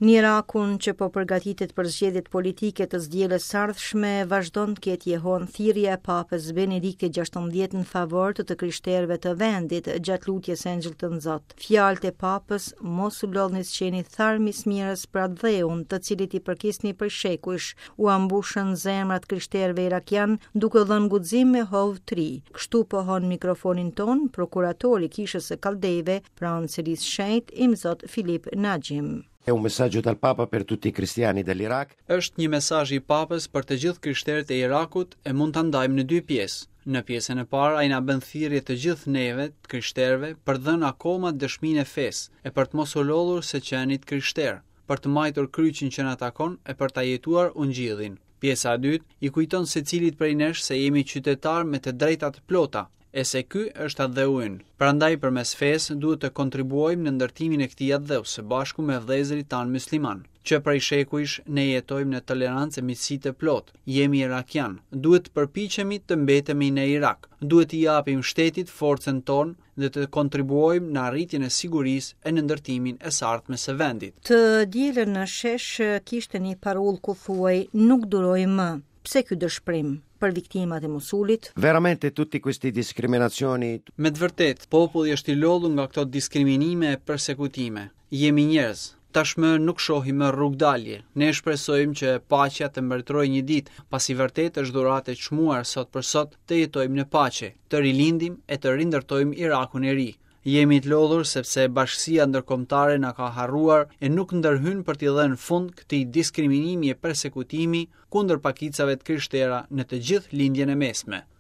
Në Irakun që po përgatitet për zgjedhjet politike të së dielës së ardhshme, vazhdon të ketë jehonë thirrja e Papës Benediktit XVI në favor të të krishterëve të vendit gjatë lutjes së Engjëllit të Zot. Fjalët e Papës mos u lodhni së qeni tharm i smirës për atdheun, të cilit i përkisni prej shekujsh, ua mbushën zemrat krishterëve irakianë duke u dhënë guxim e hov të ri. Kështu pohon në mikrofonin tonë prokuratori i Kishës së Kaldejve pranë Selisë së Shenjtë, Imzot Filip Naxhim. È un messaggio dal Papa per tutti i cristiani dell'Iraq. Është një mesazh i Papës për të gjithë krishterët e Irakut e mund ta ndajmë në dy pjesë. Në pjesën e parë ai na bën thirrje të gjithë neve, të krishterëve, për të dhënë akoma dëshminë e fesë e për të mos u lodhur së qeni të krishterë, për të mbajtur kryqin që na takon e për ta jetuar ungjillin. Pjesa e dytë i kujton secilit prej nesh se jemi qytetarë me të drejta të plota, e se ky është atdheu ynë. Prandaj përmes fesë duhet të kontribuojmë në ndërtimin e këtij atdheu së bashku me vëllezërit tanë myslimanë. Që prej shekujsh ne jetojmë në tolerancë e miqësi të plotë. Jemi irakianë. Duhet të përpiqemi të mbetemi në Irak. Duhet t'i japim shtetit forcën tonë dhe të kontribuojmë në arritjen e sigurisë e në ndërtimin e së ardhmes së vendit. Të dielën në shesh kishte një parullë ku thuhej nuk duroj më. Pse ky dëshpërim për viktimat e Mosulit? Veramente tutti questi discriminazioni. Me të vërtetë, populli është i lodhur nga këto diskriminime e persekutime. Jemi njerëz. Tashmë nuk shohim më rrugëdalje. Ne shpresojmë që paqja të mbretërojë një ditë, pasi vërtet është dhuratë e çmuar sot për sot të jetojmë në paqe, të rilindim e të rindërtojmë Irakun e ri. Jemi të lodhur sepse bashkësia ndërkombëtare na ka harruar e nuk ndërhyn për t'i dhënë fund këtij diskriminimi e persekutimi kundër pakicave të krishtera në të gjithë Lindjen e Mesme.